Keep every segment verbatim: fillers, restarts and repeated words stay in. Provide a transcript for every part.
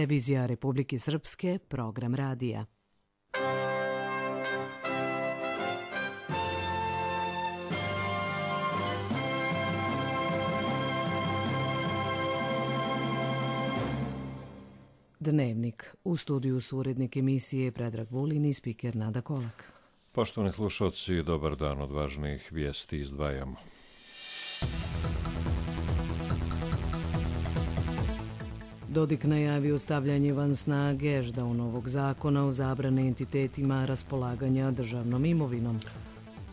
Televizija Republike Srpske, program radija. Dnevnik. U studiju su urednik emisije Predrag Vulin i spiker Nada Kolak. Poštovani slušalci, dobar dan, od važnijih vijesti izdvajamo. Dodik najavio stavljanje van snage Ešdaunovog zakona o zabrani entitetima raspolaganja državnom imovinom.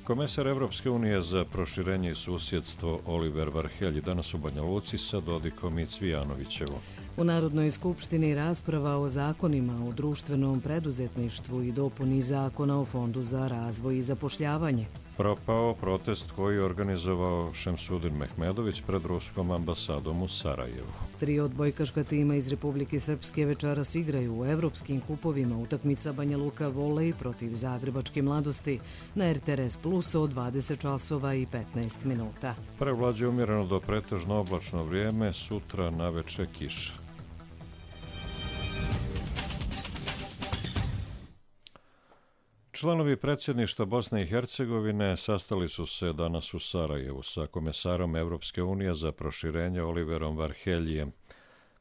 Komesar Evropske unije za proširenje i susjedstvo Oliver Varhelji danas u Banja Luci sa Dodikom i Cvijanovićevom. U Narodnoj skupštini rasprava o zakonima o društvenom preduzetništvu i dopuni zakona o Fondu za razvoj i zapošljavanje. Propao protest koji je organizovao Šemsudin Mehmedović pred ruskom ambasadom u Sarajevu. Tri odbojkaška tima iz Republike Srpske večeras igraju u evropskim kupovima. Utakmica Banja Luka volej protiv Zagrebačke mladosti na R T R S Plus od dvadeset časova i petnaest minuta. Prevlađe umjereno do pretežno oblačno vrijeme, sutra naveče kiša. Članovi predsjedništva Bosne i Hercegovine sastali su se danas u Sarajevu sa komesarom Evropske unije za proširenje Oliverom Varheljijem,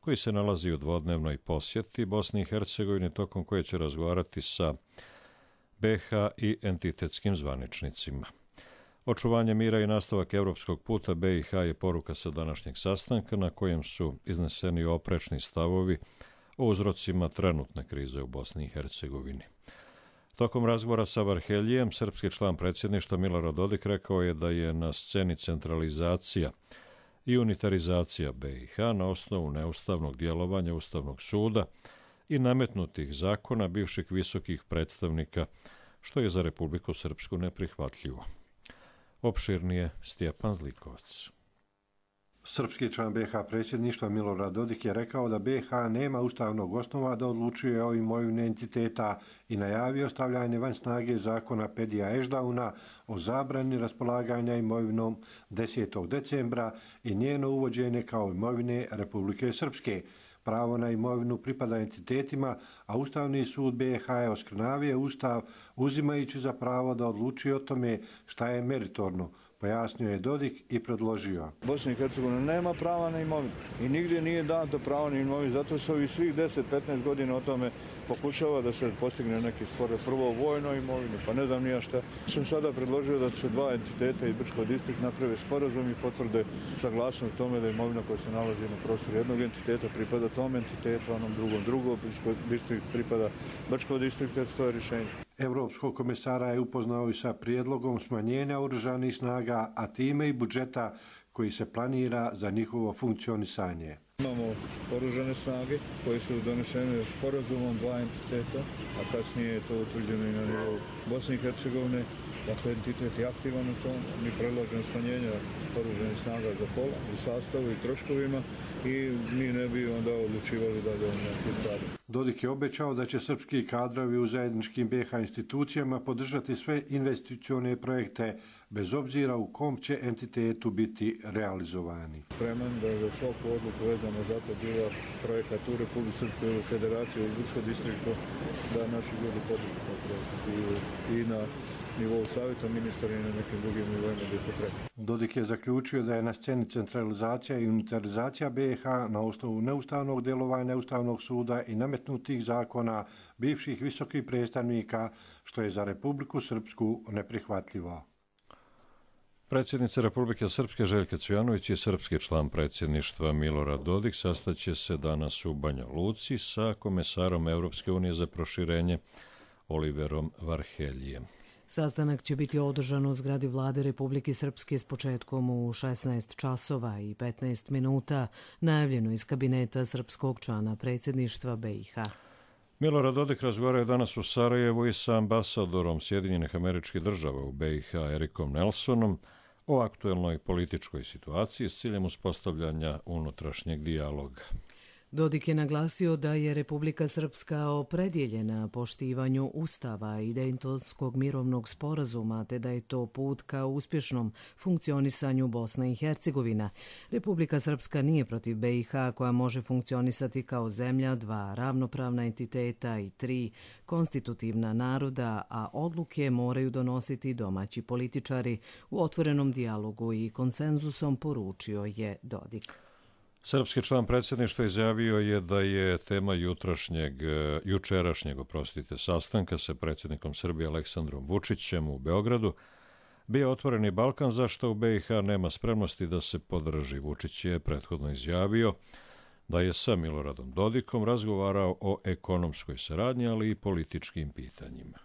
koji se nalazi u dvodnevnoj posjeti Bosni i Hercegovini, tokom koje će razgovarati sa B H i entitetskim zvaničnicima. Očuvanje mira i nastavak evropskog puta B i H je poruka sa današnjeg sastanka, na kojem su izneseni oprečni stavovi o uzrocima trenutne krize u Bosni i Hercegovini. Tokom razgovora sa Varheljijem, srpski član predsjedništva Milorad Dodik rekao je da je na sceni centralizacija i unitarizacija B i H na osnovu neustavnog djelovanja Ustavnog suda i nametnutih zakona bivših visokih predstavnika, što je za Republiku Srpsku neprihvatljivo. Opširnije Stjepan Zlikovac. Srpski član B H predsjedništva Milorad Dodik je rekao da B H nema ustavnog osnova da odlučuje o imovini entiteta i najavio stavljanje van snage zakona Pedija Ešdauna o zabrani raspolaganja imovinom desetog decembra i njeno uvođenje kao imovine Republike Srpske. Pravo na imovinu pripada entitetima, a Ustavni sud B H je oskrnavio Ustav uzimajući za pravo da odlučuje o tome šta je meritorno, pojasnio je Dodik i predložio. Bosna i Hercegovina nema prava na imovinu i nigdje nije dato pravo na imovinu, zato se ovih svih deset do petnaest godina o tome pokušava da se postigne neki stvore prvo vojno imovinu, pa ne znam nija šta. Sam sada predložio da se dva entiteta iz Brčkog distrikta naprave sporazum i potvrde saglasnost tome da imovina koja se nalazi na prostoru jednog entiteta pripada tom entitetu, onom drugom drugom, Brčkog distrikt pripada Brčkog distrikta, to je rješenje. Evropskog komesara je upoznao i sa prijedlogom smanjenja oružanih snaga, a time i budžeta koji se planira za njihovo funkcionisanje. Imamo oružane snage koje su donešene sporazumom dva entiteta, a kasnije je to utvrđeno i na nivou Bosne i Hercegovine. Dakle, entitet je aktivan u tom, mi predlažemo smanjenje oružanih snaga za pola u sastavu i troškovima i mi ne bi onda odlučivali da je neki stvari. Dodik je obećao da će srpski kadrovi u zajedničkim B H institucijama podržati sve investicione projekte, bez obzira u kom će entitetu biti realizovani. Spreman da za svaku odluku vezano za to bila projekat u Republike Srpskoj federaciji u Brčkom distriktu, da naši ljudi podržaju taj projekat i na nivou savjeta ministara i na nekim drugim nivoima gdje to treba. Dodik je zaključio da je na sceni centralizacija i unitarizacija B H na osnovu neustavnog djelovanja Ustavnog suda i nametnutih zakona bivših visokih predstavnika, što je za Republiku Srpsku neprihvatljivo. Predsjednica Republike Srpske Željka Cvijanović i srpski član predsjedništva Milorad Dodik sastaće se danas u Banja Luci sa komesarom Evropske unije za proširenje Oliverom Varheljijem. Sastanak će biti održan u zgradi vlade Republike Srpske s početkom u šesnaest časova i petnaest minuta, najavljeno iz kabineta srpskog člana predsjedništva B i H. Milorad Dodik razgovara je danas u Sarajevu i sa ambasadorom Sjedinjenih Američkih Država u B i H Erikom Nelsonom o aktuelnoj političkoj situaciji s ciljem uspostavljanja unutrašnjeg dijaloga. Dodik je naglasio da je Republika Srpska opredjeljena poštivanju Ustava i Dejtonskog mirovnog sporazuma, te da je to put ka uspješnom funkcionisanju Bosne i Hercegovina. Republika Srpska nije protiv B i H koja može funkcionisati kao zemlja, dva ravnopravna entiteta i tri konstitutivna naroda, a odluke moraju donositi domaći političari u otvorenom dijalogu i konsenzusom, poručio je Dodik. Srpski član predsjedništva izjavio je da je tema jutrašnjeg, jučerašnjeg oprostite, sastanka sa predsjednikom Srbije Aleksandrom Vučićem u Beogradu bio otvoreni Balkan, zašto u B i H nema spremnosti da se podrži. Vučić je prethodno izjavio da je sa Miloradom Dodikom razgovarao o ekonomskoj saradnji, ali i političkim pitanjima.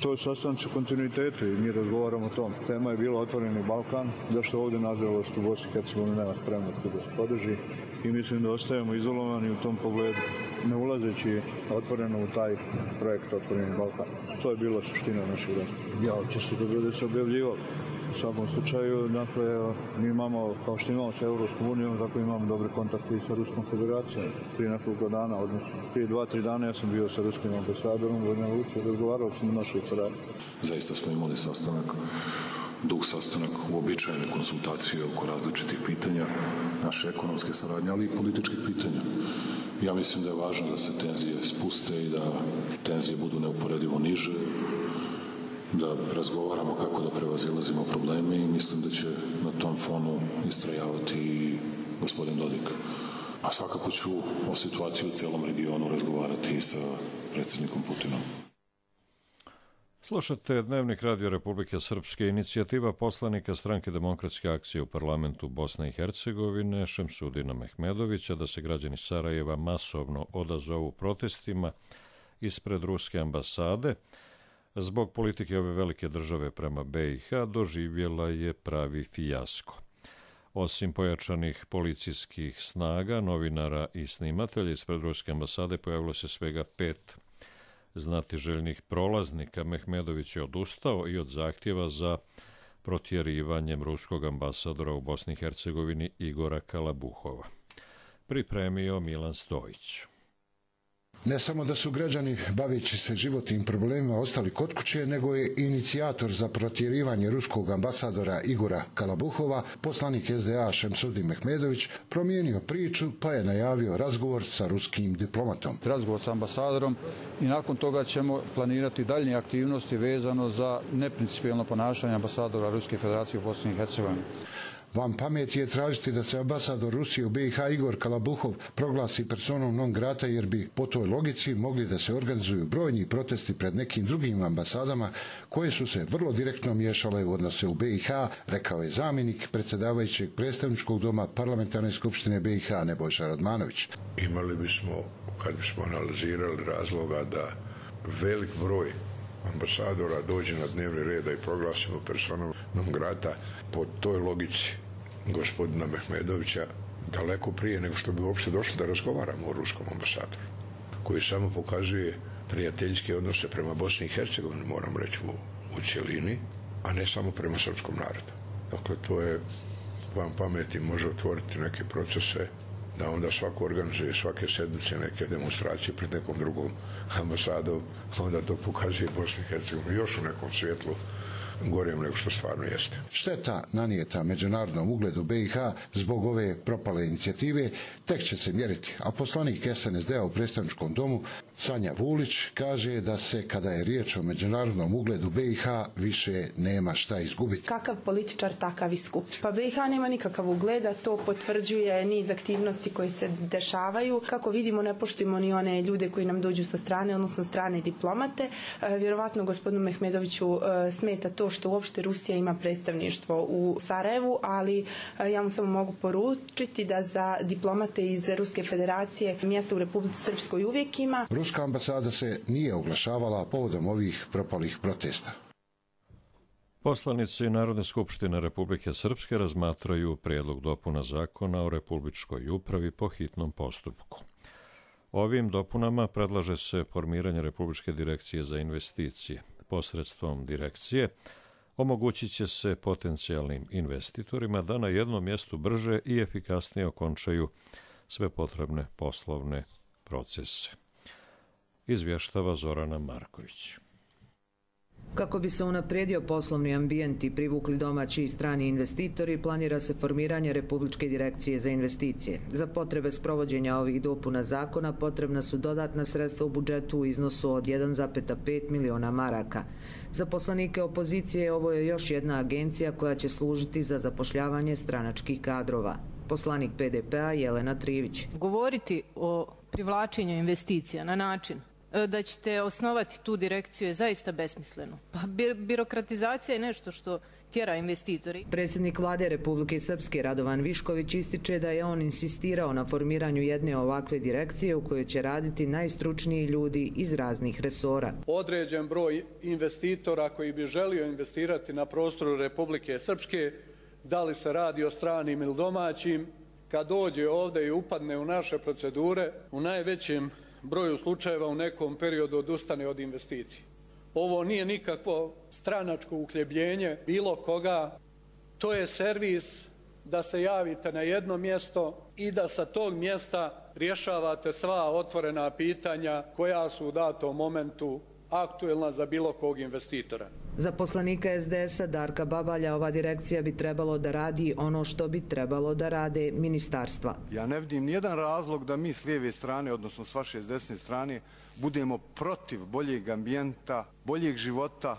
To je sastanci u kontinuitetu i mi razgovaramo o tom. Tema je bila otvoreni Balkan, zašto ovdje, nažalost, u Bosni i Hercegovini nema spremnosti da se podrži i mislim da ostajemo izolovani u tom pogledu, ne ulazeći otvoreno u taj projekt Otvoreni Balkan. To je bila suština našeg razgovora. Ja će se da bude se objavljivalo. U svakom slučaju, dakle, mi imamo, kao što imamo sa Evropskom unijom, tako imamo dobre kontakte i sa Ruskom federacijom. Prije nekoliko dana, odnosno prije dva, tri dana, ja sam bio sa ruskim ambasadorom u Banja Luci, razgovarao sam o našoj saradnji. Zaista smo imali sastanak, dug sastanak, uobičajene konsultacije oko različitih pitanja, naše ekonomske saradnje, ali i političkih pitanja. Ja mislim da je važno da se tenzije spuste i da tenzije budu neuporedivo niže, da razgovaramo kako da prevazilazimo probleme i mislim da će na tom fonu istrajavati i gospodin Dodik. A svakako ću o situaciji u celom regionu razgovarati i sa predsjednikom Putinom. Slušate Dnevnik Radio Republike Srpske. Inicijativa poslanika Stranke demokratske akcije u parlamentu Bosne i Hercegovine Šemsudina Mehmedovića da se građani Sarajeva masovno odazovu protestima ispred ruske ambasade zbog politike ove velike države prema B i H doživjela je pravi fijasko. Osim pojačanih policijskih snaga, novinara i snimatelja ispred ruske ambasade pojavilo se svega pet znatiželjnih prolaznika. Mehmedović je odustao i od zahtjeva za protjerivanjem ruskog ambasadora u Bosni i Hercegovini Igora Kalabuhova. Pripremio Milan Stojić. Ne samo da su građani, baveći se životnim problemima, ostali kod kuće, nego je inicijator za protjerivanje ruskog ambasadora Igora Kalabuhova, poslanik S D A Šemsudin Mehmedović, promijenio priču pa je najavio razgovor sa ruskim diplomatom. Razgovor sa ambasadorom i nakon toga ćemo planirati daljnje aktivnosti vezano za neprincipijelno ponašanje ambasadora Ruske federacije u Bosni i Hercegovini. Van pameti je tražiti da se ambasador Rusije u B i H Igor Kalabuhov proglasi personom non grata, jer bi po toj logici mogli da se organizuju brojni protesti pred nekim drugim ambasadama koje su se vrlo direktno miješale u odnose u B i H, rekao je zamjenik predsjedavajućeg predstavničkog doma Parlamentarne skupštine B i H Nebojša Radmanović. Imali bismo, kad bismo analizirali razloga da velik broj ambasadora dođe na dnevni red i proglasimo personom non grata po toj logici gospodina Mehmedovića daleko prije nego što bi uopšte došli da razgovaramo o ruskom ambasadoru, koji samo pokazuje prijateljske odnose prema Bosni i Hercegovini, moram reći, u, u cjelini, a ne samo prema srpskom narodu. Dakle, to je van pameti može otvoriti neke procese da onda svako organizuje svake sedmice neke demonstracije pred nekom drugom ambasadom, onda to pokazuje Bosni i Hercegovini još u nekom svjetlu gorijem nego što stvarno jeste. Šteta nanijeta međunarodnom ugledu B i H zbog ove propale inicijative tek će se mjeriti, a poslanik S N S D-a u predstavničkom domu Sanja Vulić kaže da se, kada je riječ o međunarodnom ugledu B i H, više nema šta izgubiti. Kakav političar, takav i skup. Pa B i H nema nikakav ugled, a to potvrđuje niz aktivnosti koje se dešavaju. Kako vidimo, ne poštujemo ni one ljude koji nam dođu sa strane, odnosno strane diplomate. E, vjerovatno gospodinu Mehmedoviću e, smeta to što uopšte Rusija ima predstavništvo u Sarajevu, ali e, ja mu samo mogu poručiti da za diplomate iz Ruske federacije mjesta u Republici Srpskoj uvijek ima. Ruska ambasada se nije oglašavala povodom ovih propalih protesta. Poslanici Narodne skupštine Republike Srpske razmatraju prijedlog dopuna zakona o republičkoj upravi po hitnom postupku. Ovim dopunama predlaže se formiranje Republičke direkcije za investicije. Posredstvom direkcije omogućit će se potencijalnim investitorima da na jednom mjestu brže i efikasnije okončaju sve potrebne poslovne procese. Izvještava Zorana Marković. Kako bi se unaprijedio poslovni ambijent i privukli domaći i strani investitori, planira se formiranje Republičke direkcije za investicije. Za potrebe sprovođenja ovih dopuna zakona potrebna su dodatna sredstva u budžetu u iznosu od jedan zarez pet miliona maraka. Za poslanike opozicije ovo je još jedna agencija koja će služiti za zapošljavanje stranačkih kadrova. Poslanik P D P-a Jelena Trivić. Govoriti o privlačenju investicija na način da ćete osnovati tu direkciju je zaista besmisleno. Pa bi, birokratizacija je nešto što tjera investitori. Predsjednik vlade Republike Srpske Radovan Višković ističe da je on insistirao na formiranju jedne ovakve direkcije u kojoj će raditi najstručniji ljudi iz raznih resora. Određen broj investitora koji bi želio investirati na prostoru Republike Srpske, da li se radi o stranim ili domaćim, kad dođe ovdje i upadne u naše procedure, u najvećem broju slučajeva u nekom periodu odustane od investicije. Ovo nije nikakvo stranačko uhljebljenje bilo koga, to je servis da se javite na jedno mjesto i da sa tog mjesta rješavate sva otvorena pitanja koja su u datom momentu aktuelna za bilo kog investitora. Za poslanika S D S-a Darka Babalja ova direkcija bi trebalo da radi ono što bi trebalo da rade ministarstva. Ja ne vidim nijedan razlog da mi s lijeve strane, odnosno s vaše s desne strane, budemo protiv boljeg ambijenta, boljeg života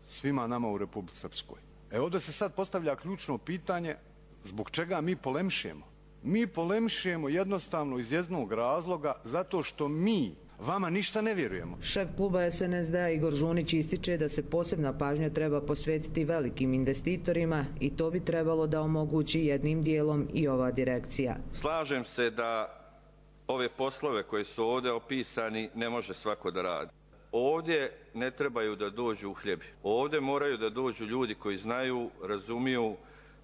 svima nama u Republici Srpskoj. E ovdje se sad postavlja ključno pitanje zbog čega mi polemišemo. Mi polemišemo jednostavno iz jednog razloga zato što mi vama ništa ne vjerujemo. Šef kluba S N S D-a Igor Žunić ističe da se posebna pažnja treba posvetiti velikim investitorima i to bi trebalo da omogući jednim dijelom i ova direkcija. Slažem se da ove poslove koji su ovdje opisani ne može svako da radi. Ovdje ne trebaju da dođu uhljebi. Ovdje moraju da dođu ljudi koji znaju, razumiju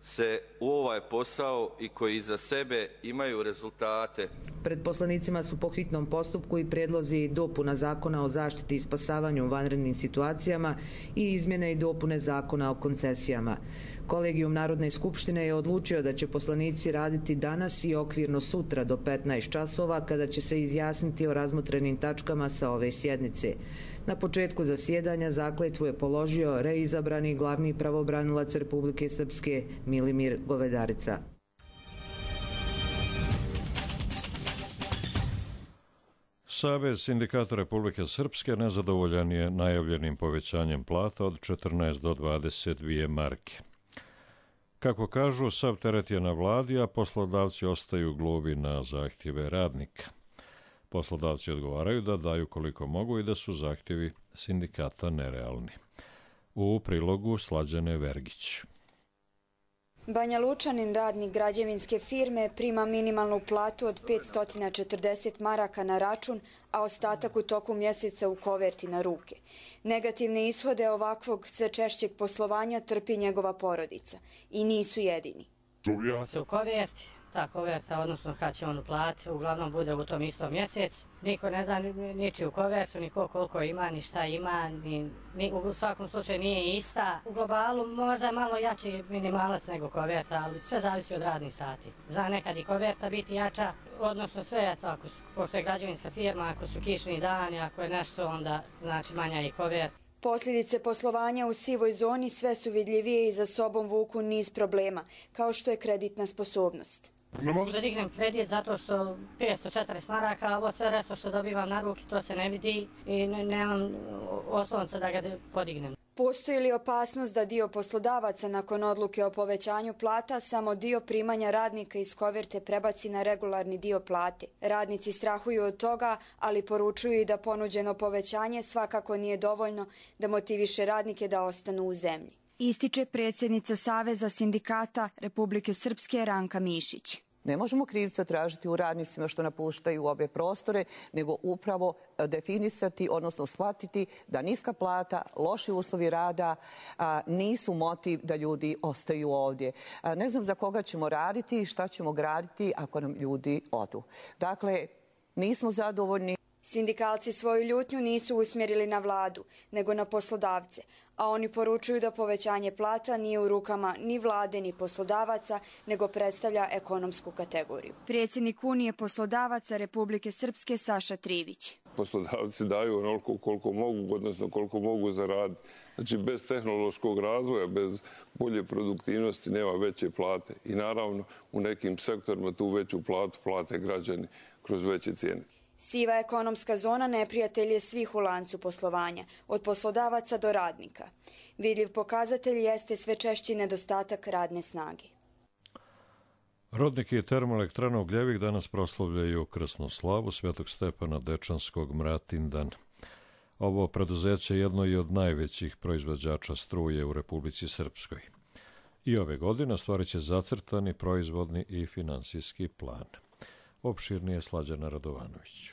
se u ovaj posao i koji iza sebe imaju rezultate. Pred poslanicima su po hitnom postupku i prijedlozi dopuna zakona o zaštiti i spasavanju u vanrednim situacijama i izmjene i dopune zakona o koncesijama. Kolegijum Narodne skupštine je odlučio da će poslanici raditi danas i okvirno sutra do petnaest časova kada će se izjasniti o razmotrenim tačkama sa ove sjednice. Na početku zasjedanja zakletvu je položio reizabrani glavni pravobranilac Republike Srpske Milimir Govedarica. Savez sindikata Republike Srpske nezadovoljan je najavljenim povećanjem plata od četrnaest do dvadeset dvije marke. Kako kažu, sav teret je na vladi, a poslodavci ostaju gluvi na zahtjeve radnika. Poslodavci odgovaraju da daju koliko mogu i da su zahtjevi sindikata nerealni. U prilogu Slađane Vergić. Banja Lučanin, radnik građevinske firme, prima minimalnu platu od petsto četrdeset maraka na račun, a ostatak u toku mjeseca u koverti na ruke. Negativne ishode ovakvog sve češćeg poslovanja trpi njegova porodica. I nisu jedini. On se u koverti, ta koverta, odnosno kad će on uplatiti, uglavnom bude u tom istom mjesecu. Niko ne zna ničiju kovertu, niko koliko ima, ni šta ima, ni, ni, u svakom slučaju nije ista. U globalu možda je malo jači minimalac nego koverta, ali sve zavisi od radnih sati. Za nekad i koverta biti jača, odnosno sve je to, ako su, pošto je građevinska firma, ako su kišni dani, ako je nešto, onda znači manja i koverta. Posljedice poslovanja u sivoj zoni sve su vidljivije i za sobom vuku niz problema, kao što je kreditna sposobnost. Ne mogu da dignem kredit zato što petsto četrdeset maraka, a ovo sve resto što dobivam na ruki, to se ne vidi i nemam osnovca da ga podignem. Postoji li opasnost da dio poslodavaca nakon odluke o povećanju plata samo dio primanja radnika iz koverte prebaci na regularni dio plate? Radnici strahuju od toga, ali poručuju i da ponuđeno povećanje svakako nije dovoljno da motiviše radnike da ostanu u zemlji. Ističe predsjednica Saveza sindikata Republike Srpske Ranka Mišić. Ne možemo krivca tražiti u radnicima što napuštaju ove prostore, nego upravo definisati, odnosno shvatiti da niska plata, loši uslovi rada a, nisu motiv da ljudi ostaju ovdje. A, ne znam za koga ćemo raditi i šta ćemo graditi ako nam ljudi odu. Dakle, nismo zadovoljni. Sindikalci svoju ljutnju nisu usmjerili na vladu, nego na poslodavce, a oni poručuju da povećanje plata nije u rukama ni vlade ni poslodavaca, nego predstavlja ekonomsku kategoriju. Predsjednik Unije poslodavaca Republike Srpske Saša Trivić. Poslodavci daju onoliko koliko mogu, odnosno koliko mogu zaraditi. Znači, bez tehnološkog razvoja, bez bolje produktivnosti nema veće plate. I naravno, u nekim sektorima tu veću platu plate građani kroz veće cijene. Siva ekonomska zona neprijatelj je svih u lancu poslovanja, od poslodavaca do radnika. Vidljiv pokazatelj jeste sve češći nedostatak radne snage. Rodniki termoelektrana Ugljevik danas proslavljaju krsnu slavu Svetog Stepana Dečanskog Mratindan. Ovo preduzeće je jedno i od najvećih proizvođača struje u Republici Srpskoj. I ove godine ostvarit će zacrtani proizvodni i finansijski plan. Opširnije Slađana Radovanović.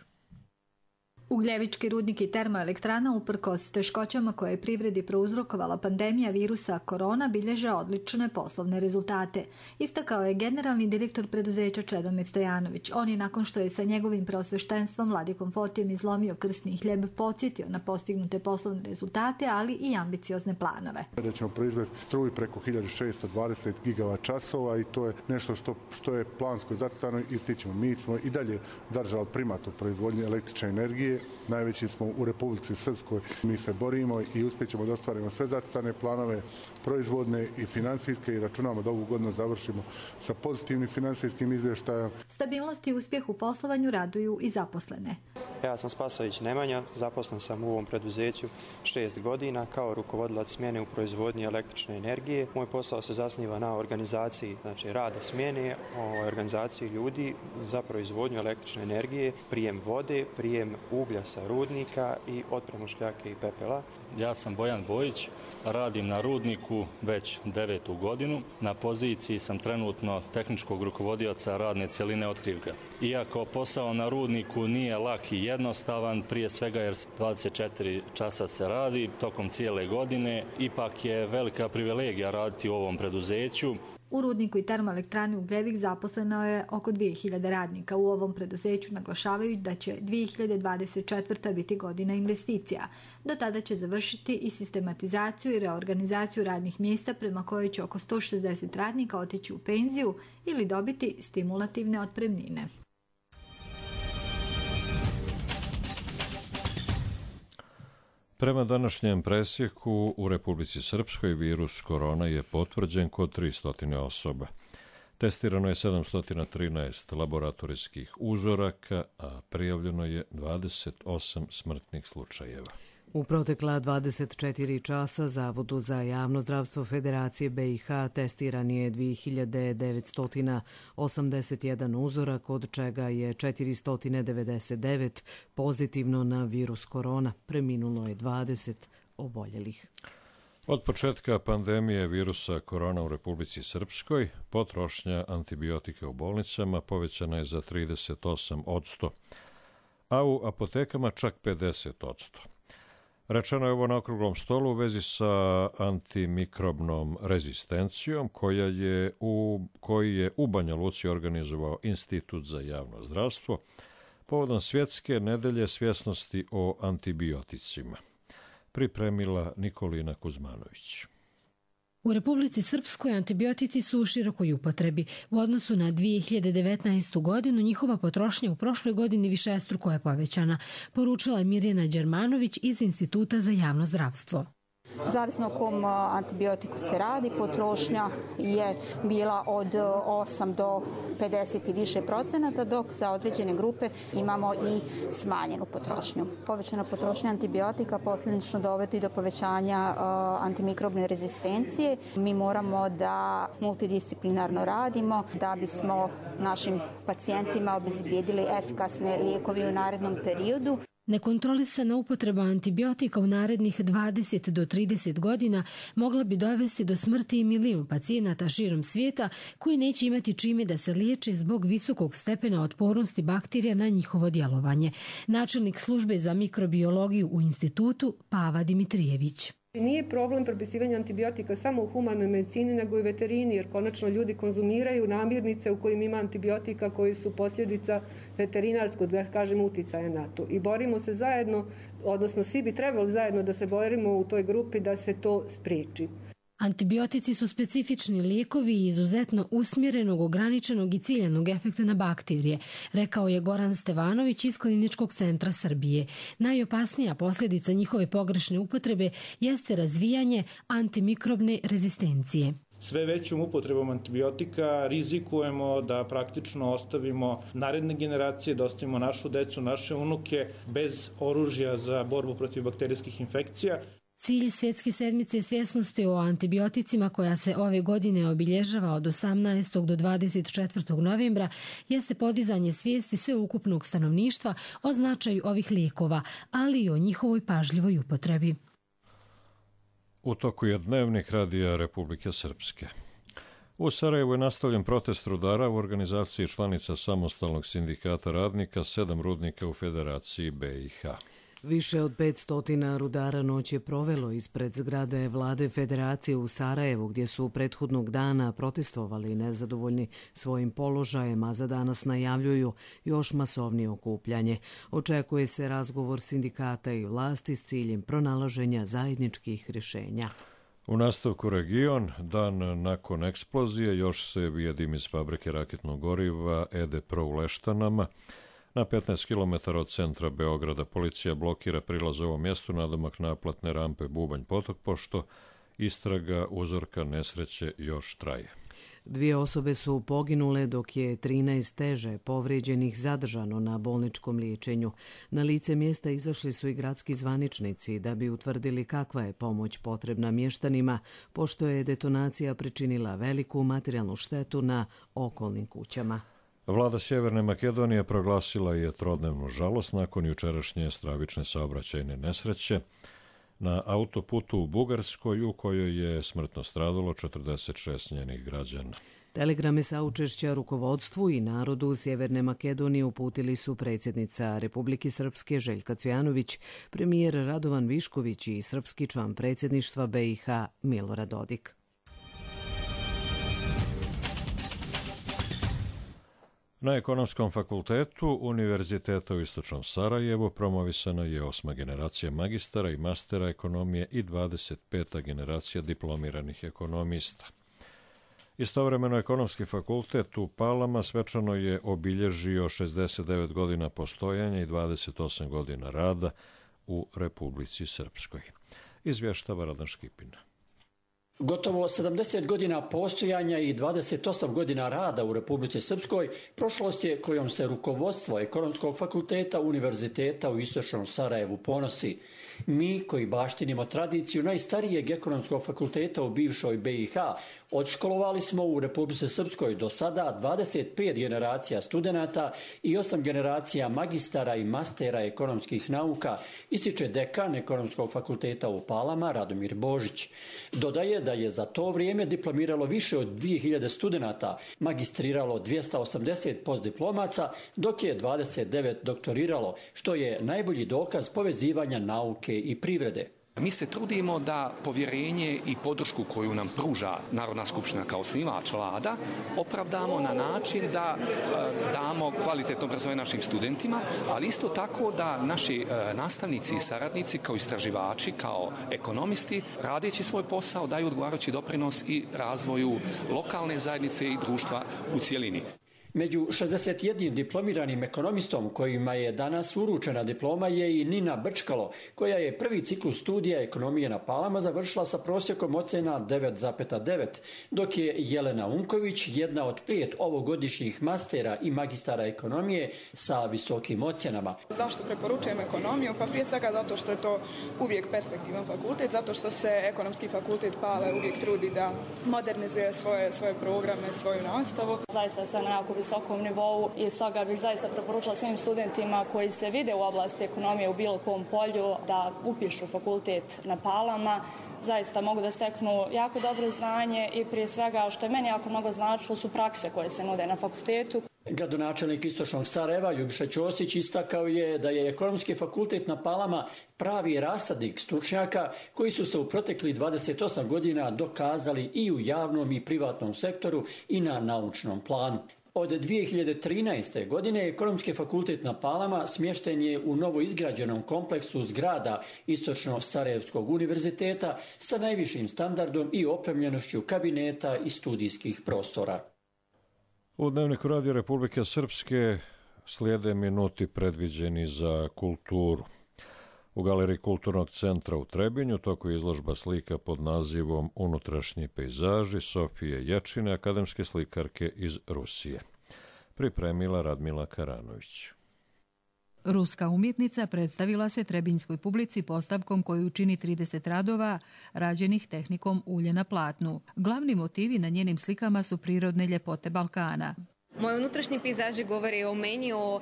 Ugljevički rudnik i termoelektrana uprkos teškoćama koje je privredi prouzrokovala pandemija virusa korona bilježe odlične poslovne rezultate. Istakao je generalni direktor preduzeća Čedomir Stojanović. On je nakon što je sa njegovim preosveštenstvom Vladikom Fotijom izlomio krsni hljeb podsjetio na postignute poslovne rezultate, ali i ambiciozne planove. Da ćemo proizvesti struju preko hiljadu šesto dvadeset gigavat časova i to je nešto što, što je plansko zacrtano i stićemo. Mi smo i dalje zadržali primat u proizvodnji električne energije. Najveći smo u Republici Srpskoj. Mi se borimo i uspjećemo da ostvarimo sve zacrtane planove, proizvodne i financijske i računamo da ovu godinu završimo sa pozitivnim financijskim izvještajem. Stabilnost i uspjeh u poslovanju raduju i zaposlene. Ja sam Spasović Nemanja, zaposlen sam u ovom preduzeću šest godina kao rukovodilac smjene u proizvodnji električne energije. Moj posao se zasniva na organizaciji, znači rada smjene, o organizaciji ljudi za proizvodnju električne energije, prijem vode, prijem uglja sa rudnika i otpremu šljake i pepela. Ja sam Bojan Bojić, radim na rudniku već devetu godinu. Na poziciji sam trenutno tehničkog rukovodioca radne cjeline otkrivka. Iako posao na rudniku nije lak i jednostavan, prije svega jer dvadeset četiri časa se radi tokom cijele godine, ipak je velika privilegija raditi u ovom preduzeću. U rudniku i termoelektrani Ugljevik zaposleno je oko dvije hiljade radnika. U ovom preduzeću naglašavaju da će dvije hiljade dvadeset četvrta biti godina investicija. Do tada će završiti i sistematizaciju i reorganizaciju radnih mjesta prema kojoj će oko sto šezdeset radnika otići u penziju ili dobiti stimulativne otpremnine. Prema današnjem presjeku u Republici Srpskoj virus korona je potvrđen kod tristo osoba. Testirano je sedamsto trinaest laboratorijskih uzoraka, a prijavljeno je dvadeset osam smrtnih slučajeva. U protekla dvadeset četiri časa Zavodu za javno zdravstvo Federacije B i H testiran je dvije hiljade devetsto osamdeset jedan uzorak, od čega je četiristo devedeset devet pozitivno na virus korona. Preminulo je dvadeset oboljelih. Od početka pandemije virusa korona u Republici Srpskoj potrošnja antibiotika u bolnicama povećana je za trideset osam posto, a u apotekama čak pedeset posto. Rečeno je ovo na okruglom stolu u vezi sa antimikrobnom rezistencijom koja je u, koji je u Banja Luci organizovao Institut za javno zdravstvo povodom svjetske nedelje svjesnosti o antibioticima. Pripremila Nikolina Kuzmanović. U Republici Srpskoj antibiotici su u širokoj upotrebi. U odnosu na dvije hiljade devetnaestu. godinu njihova potrošnja u prošloj godini višestruko je povećana, poručila je Mirjana Đermanović iz Instituta za javno zdravstvo. Zavisno o kom antibiotiku se radi, potrošnja je bila od osam do pedeset i više procenata, dok za određene grupe imamo i smanjenu potrošnju. Povećana potrošnja antibiotika posljedično dovodi do povećanja uh, antimikrobne rezistencije. Mi moramo da multidisciplinarno radimo da bismo našim pacijentima obezbijedili efikasne lijekove u narednom periodu. Nekontrolisana upotreba antibiotika u narednih dvadeset do trideset godina mogla bi dovesti do smrti i milijun pacijenata širom svijeta koji neće imati čime da se liječe zbog visokog stepena otpornosti bakterija na njihovo djelovanje. Načelnik službe za mikrobiologiju u institutu Pava Dimitrijević. Nije problem propisivanja antibiotika samo u humanoj medicini, nego i veterini, jer konačno ljudi konzumiraju namirnice u kojim ima antibiotika koji su posljedica veterinarskog, da kažem, uticaja na to. I borimo se zajedno, odnosno svi bi trebali zajedno da se borimo u toj grupi da se to spriječi. Antibiotici su specifični lijekovi i izuzetno usmjerenog, ograničenog i ciljanog efekta na bakterije, rekao je Goran Stevanović iz Kliničkog centra Srbije. Najopasnija posljedica njihove pogrešne upotrebe jeste razvijanje antimikrobne rezistencije. Sve većom upotrebom antibiotika rizikujemo da praktično ostavimo naredne generacije, da ostavimo našu decu, naše unuke bez oružja za borbu protiv bakterijskih infekcija. Cilj Svjetske sedmice svjesnosti o antibioticima, koja se ove godine obilježava od osamnaestog do dvadeset četvrtog novembra, jeste podizanje svijesti sveukupnog stanovništva o značaju ovih lijekova, ali i o njihovoj pažljivoj upotrebi. U toku je dnevnik Radija Republike Srpske. U Sarajevu je nastavljen protest rudara u organizaciji članica Samostalnog sindikata radnika, sedam rudnika u Federaciji B i H. Više od petsto rudara noć je provelo ispred zgrade vlade Federacije u Sarajevu, gdje su prethodnog dana protestovali nezadovoljni svojim položajem, a za danas najavljuju još masovnije okupljanje. Očekuje se razgovor sindikata i vlasti s ciljem pronalaženja zajedničkih rješenja. U nastavku region, dan nakon eksplozije, još se vije dim iz fabrike raketnog goriva Ede Pro u Leštanama. Na petnaest kilometara od centra Beograda policija blokira prilaz ovom mjestu nadomak naplatne rampe Bubanj potok, pošto istraga uzorka nesreće još traje. Dvije osobe su poginule, dok je trinaest teže povrijeđenih zadržano na bolničkom liječenju. Na lice mjesta izašli su i gradski zvaničnici da bi utvrdili kakva je pomoć potrebna mještanima, pošto je detonacija pričinila veliku materijalnu štetu na okolnim kućama. Vlada Sjeverne Makedonije proglasila je trodnevnu žalost nakon jučerašnje stravične saobraćajne nesreće na autoputu u Bugarskoj, u kojoj je smrtno stradalo četrdeset šest njenih građana. Telegrame saučešća rukovodstvu i narodu Sjeverne Makedonije uputili su predsjednica Republike Srpske Željka Cvjanović, premijer Radovan Višković i srpski član predsjedništva B i H Milorad Dodik. Na Ekonomskom fakultetu Univerziteta u Istočnom Sarajevu promovisana je osma generacija magistara i mastera ekonomije i dvadeset peta generacija diplomiranih ekonomista. Istovremeno Ekonomski fakultet u Palama svečano je obilježio šezdeset devet godina postojanja i dvadeset osam godina rada u Republici Srpskoj. Izvještava Radan Škipin. Gotovo sedamdeset godina postojanja i dvadeset osam godina rada u Republici Srpskoj prošlost je kojom se rukovodstvo Ekonomskog fakulteta Univerziteta u Istočnom Sarajevu ponosi. Mi koji baštinimo tradiciju najstarijeg Ekonomskog fakulteta u bivšoj B i H odškolovali smo u Republici Srpskoj do sada dvadeset pet generacija studenata i osam generacija magistara i mastera ekonomskih nauka, ističe dekan Ekonomskog fakulteta u Palama Radomir Božić. Dodaje da je za to vrijeme diplomiralo više od dvije hiljade studenata, magistriralo dvjesto osamdeset postdiplomaca, dok je dvadeset devet doktoriralo, što je najbolji dokaz povezivanja nauke i privrede. Mi se trudimo da povjerenje i podršku koju nam pruža Narodna skupština kao osnivač vlada opravdamo na način da e, damo kvalitetno obrazovanje našim studentima, ali isto tako da naši e, nastavnici i saradnici kao istraživači, kao ekonomisti, radeći svoj posao, daju odgovarajući doprinos i razvoju lokalne zajednice i društva u cjelini. Među šezdeset jednim diplomiranim ekonomistom kojima je danas uručena diploma je i Nina Brčkalo, koja je prvi ciklus studija ekonomije na Palama završila sa prosjekom ocena devet zarez devet, dok je Jelena Unković jedna od pet ovogodišnjih mastera i magistara ekonomije sa visokim ocjenama. Zašto preporučujem ekonomiju? Pa prije svega zato što je to uvijek perspektivan fakultet, zato što se Ekonomski fakultet Pale uvijek trudi da modernizuje svoje, svoje programe, svoju nastavu. Zaista sve na jako visokom nivou i stoga bih zaista preporučila svim studentima koji se vide u oblasti ekonomije u bilo kom polju da upišu fakultet na Palama. Zaista mogu da steknu jako dobro znanje i prije svega što je meni jako mnogo značilo su prakse koje se nude na fakultetu. Gradonačelnik Istočnog Sarajeva Ljubiša Ćosić istakao je da je Ekonomski fakultet na Palama pravi rasadnik stručnjaka koji su se u proteklih dvadeset osam godina dokazali i u javnom i privatnom sektoru i na naučnom planu. Od dvije hiljade trinaeste. godine Ekonomski fakultet na Palama smješten je u novoizgrađenom kompleksu zgrada Istočno-Sarajevskog univerziteta sa najvišim standardom i opremljenošću kabineta i studijskih prostora. U Dnevniku Radio Republike Srpske slijede minuti predviđeni za kulturu. U Galeriji Kulturnog centra u Trebinju toku je izložba slika pod nazivom Unutrašnji pejzaži Sofije Ječine, akademske slikarke iz Rusije. Pripremila Radmila Karanović. Ruska umjetnica predstavila se trebinjskoj publici postavkom koju čini trideset radova rađenih tehnikom ulje na platnu. Glavni motivi na njenim slikama su prirodne ljepote Balkana. Moji unutrašnji pejzaži govori o meni, o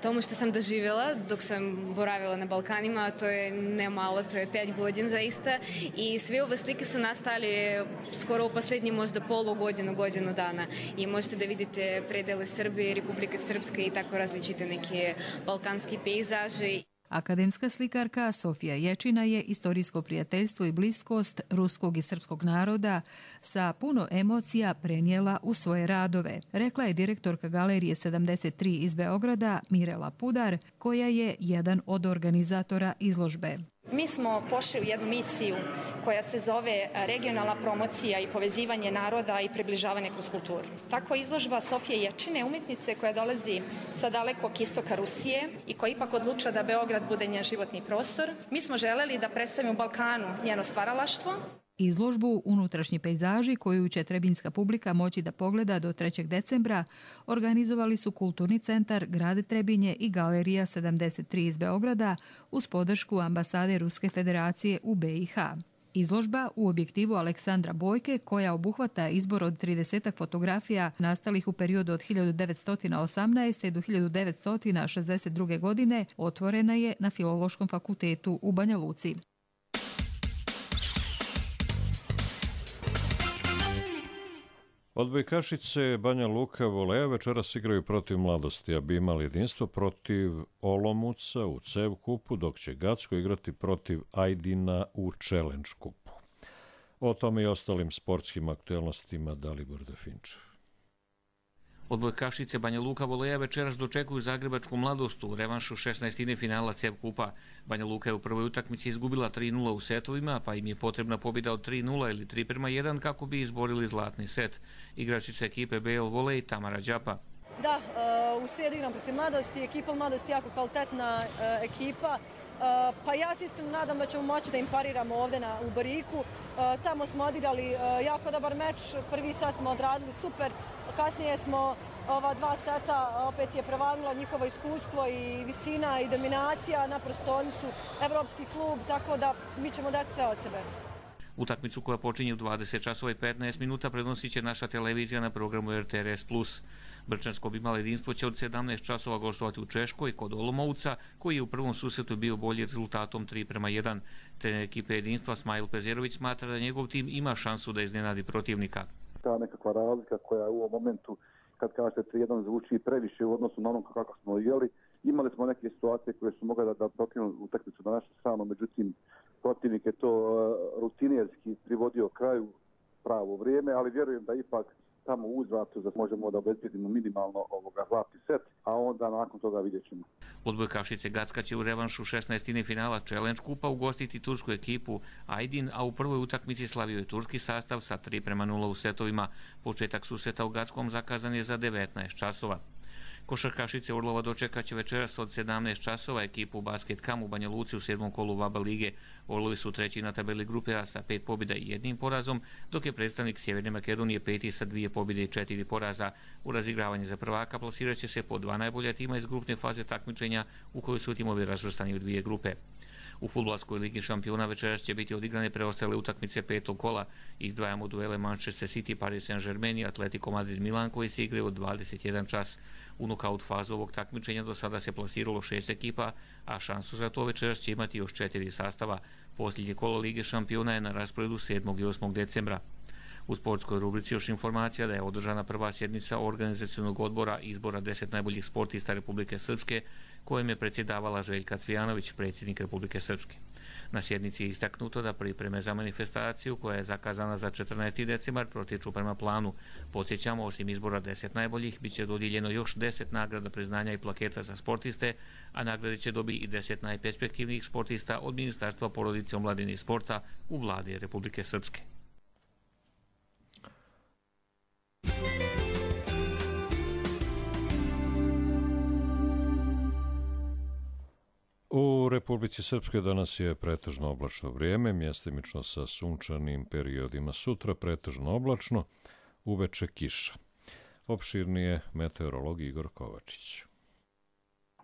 tomu što sam doživjela dok sam boravila na Balkanima, to je ne malo, to je pet godina zaista i sve ove slike su nastali skoro u posljednji možda polu godinu, godinu dana i možete da vidite predele Srbije, Republike Srpske i tako različite neke balkanski pejzaži. Akademska slikarka Sofija Ječina je istorijsko prijateljstvo i bliskost ruskog i srpskog naroda sa puno emocija prenijela u svoje radove, rekla je direktorka Galerije sedamdeset tri iz Beograda Mirela Pudar, koja je jedan od organizatora izložbe. Mi smo pošli u jednu misiju koja se zove regionalna promocija i povezivanje naroda i približavanje kroz kulturu. Tako izložba Sofije Ječine, umjetnice koja dolazi sa dalekog istoka Rusije i koja ipak odlučila da Beograd bude njen životni prostor. Mi smo želeli da predstavimo Balkanu njeno stvaralaštvo. Izložbu Unutrašnji pejzaži, koju će trebinjska publika moći da pogleda do trećeg decembra, organizovali su Kulturni centar Grad Trebinje i Galerija sedamdeset tri iz Beograda uz podršku ambasade Ruske federacije u B i H. Izložba u objektivu Aleksandra Bojke, koja obuhvata izbor od trideset fotografija nastalih u periodu od hiljadu devetsto osamnaeste. do hiljadu devetsto šezdeset druge. godine, otvorena je na Filološkom fakultetu u Banja Luci. Odbojkašice Banja Luka Voleja večeras igraju protiv Mladosti, a bi imali jedinstvo protiv Olomouca u C E V kupu, dok će Gacko igrati protiv Ajdina u Challenge kupu. O tome i ostalim sportskim aktuelnostima Dalibor Definčev. Odbojkašice Banja Luka Voleja večeras dočekuju zagrebačku Mladost u revanšu šesnaestine finala C E V kupa. Banja Luka je u prvoj utakmici izgubila tri nula u setovima, pa im je potrebna pobjeda od tri nula ili tri prema jedan kako bi izborili zlatni set. Igračica ekipe B L Volej Tamara Đapa. Da, u srijedu igram protiv Mladosti, ekipa Mladosti je jako kvalitetna ekipa. Pa ja se iskreno nadam da ćemo moći da im pariramo ovdje na, u Bariku. Tamo smo odigrali jako dobar meč, prvi sat smo odradili super, kasnije smo ova dva seta opet je prevagnulo njihovo iskustvo i visina i dominacija, naprosto oni su evropski klub, tako da mi ćemo dati sve od sebe. Utakmicu koja počinje u dvadeset časova i petnaest minuta prenosit će naša televizija na programu R T R S plus. Brčansko bi malo jedinstvo će od sedamnaest časova gostovati u Češkoj kod Olomouca, koji je u prvom susretu bio bolji rezultatom tri prema jedan. Trener ekipe jedinstva Smajl Pezerović smatra da njegov tim ima šansu da iznenadi protivnika. Ta nekakva razlika koja u ovom momentu, kad kažete tri jedan, zvuči previše u odnosu na onom kako smo igrali. Imali smo neke situacije koje su mogli da, da protivnu utakmicu na našu stranu, međutim protivnik je to uh, rutinerski privodio kraju pravo vrijeme, ali vjerujem da ipak tamo u uzvratu da možemo da obezbedimo minimalno ovoga zlatni set, a onda nakon toga vidjet ćemo. Odbojkašice Gacka će u revanšu šesnaestine finala Challenge kupa ugostiti tursku ekipu Aydin, a u prvoj utakmici slavio je turski sastav sa tri prema nula u setovima. Početak susreta u Gackom zakazan je za devetnaest časova. Košarkašice Orlova dočekaće večeras od sedamnaest časova ekipu Basket Kam u Banja Luci u sedmom kolu V A B A lige. Orlovi su treći na tabeli grupe A sa pet pobjeda i jednim porazom, dok je predstavnik Sjeverne Makedonije peti sa dvije pobjede i četiri poraza. U razigravanje za prvaka plasirat će se po dva najbolja tima iz grupne faze takmičenja u kojoj su timovi razvrstani u dvije grupe. U fudbalskoj ligi šampiona večeras će biti odigrane preostale utakmice petog kola. Izdvajamo duele Manchester City, Paris Saint-Germain i Atletico Madrid Milan koji se igraju od dvadeset jedan čas. U nokaut fazu ovog takmičenja do sada se plasiralo šest ekipa, a šansu za to večeras će imati još četiri sastava. Posljednje kolo Lige šampiona je na rasporedu sedmog i osmog decembra. U sportskoj rubrici još informacija da je održana prva sjednica organizacionog odbora izbora deset najboljih sportista Republike Srpske, kojem je predsjedavala Željka Cvijanović, predsjednik Republike Srpske. Na sjednici je istaknuto da pripreme za manifestaciju, koja je zakazana za četrnaesti decembar, protiču prema planu. Podsjećamo, osim izbora deset najboljih, bit će dodijeljeno još deset nagrada, priznanja i plaketa za sportiste, a nagrade će dobiti i deset najperspektivnijih sportista od Ministarstva porodice, omladine i sporta u vladi Republike Srpske. U Republici Srpskoj danas je pretežno oblačno vrijeme, mjestimično sa sunčanim periodima. Sutra pretežno oblačno, uveče kiša. Opširnije meteorolog Igor Kovačić.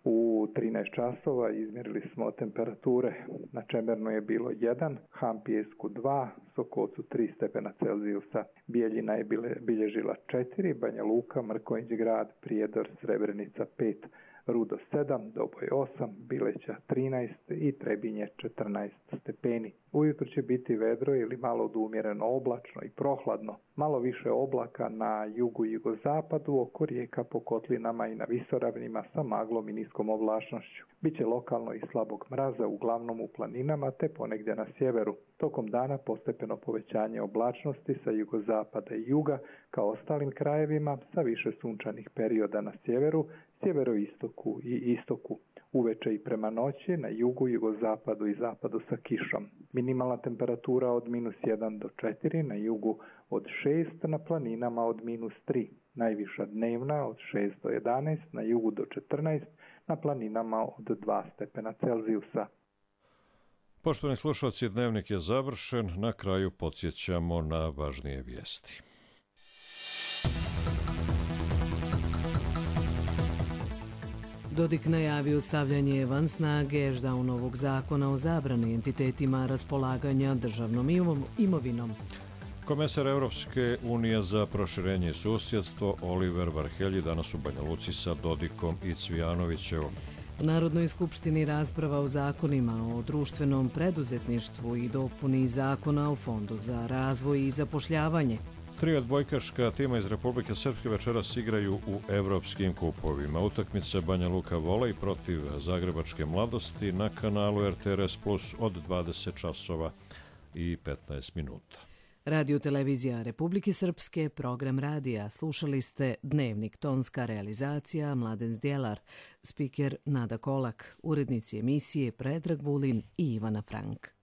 U trinaest časova izmjerili smo temperature. Na Čemernu je bilo jedan, Hampijesku dva, Sokolcu tri stepena Celzijusa. Bijeljina je bilježila četiri, Banja Luka, Mrkonjić grad, Prijedor, Srebrenica pet, Rudo sedam, Doboj osam, Bileća trinaest i Trebinje četrnaest stepeni. Ujutro će biti vedro ili malo odumjereno oblačno i prohladno. Malo više oblaka na jugu i jugozapadu, oko rijeka po kotlinama i na visoravnima sa maglom i niskom oblačnošću. Biće lokalno i slabog mraza, uglavnom u planinama te ponegdje na sjeveru. Tokom dana postepeno povećanje oblačnosti sa jugozapada i juga, kao ostalim krajevima, sa više sunčanih perioda na sjeveru, sjeveroistoku i istoku. Uveče i prema noći na jugu, jugozapadu i zapadu sa kišom. Minimalna temperatura od minus jedan do četiri, na jugu od šest, na planinama od minus tri. Najviša dnevna od šest do jedanaest, na jugu do četrnaest, na planinama od dva stepena Celzijusa. Poštovani slušalci, dnevnik je završen. Na kraju podsjećamo na važnije vijesti. Dodik najavio stavljanje van snage Ždaunovog zakona o zabrani entitetima raspolaganja državnom imovinom. Komesar Evropske unije za proširenje i susjedstvo Oliver Varhelji danas u Banja Luci sa Dodikom i Cvijanovićevom. U Narodnoj skupštini rasprava o zakonima o društvenom preduzetništvu i dopuni zakona o Fondu za razvoj i zapošljavanje. Tri odbojkaška tima iz Republike Srpske večeras igraju u evropskim kupovima. Utakmica Banja Luka volej protiv Zagrebačke mladosti na kanalu R T R S Plus od dvadeset časova i petnaest minuta. Radio televizija Republike Srpske, program radija. Slušali ste Dnevnik, tonska realizacija Mladen Zdjelar, spiker Nada Kolak, urednici emisije Predrag Vulin i Ivana Frank.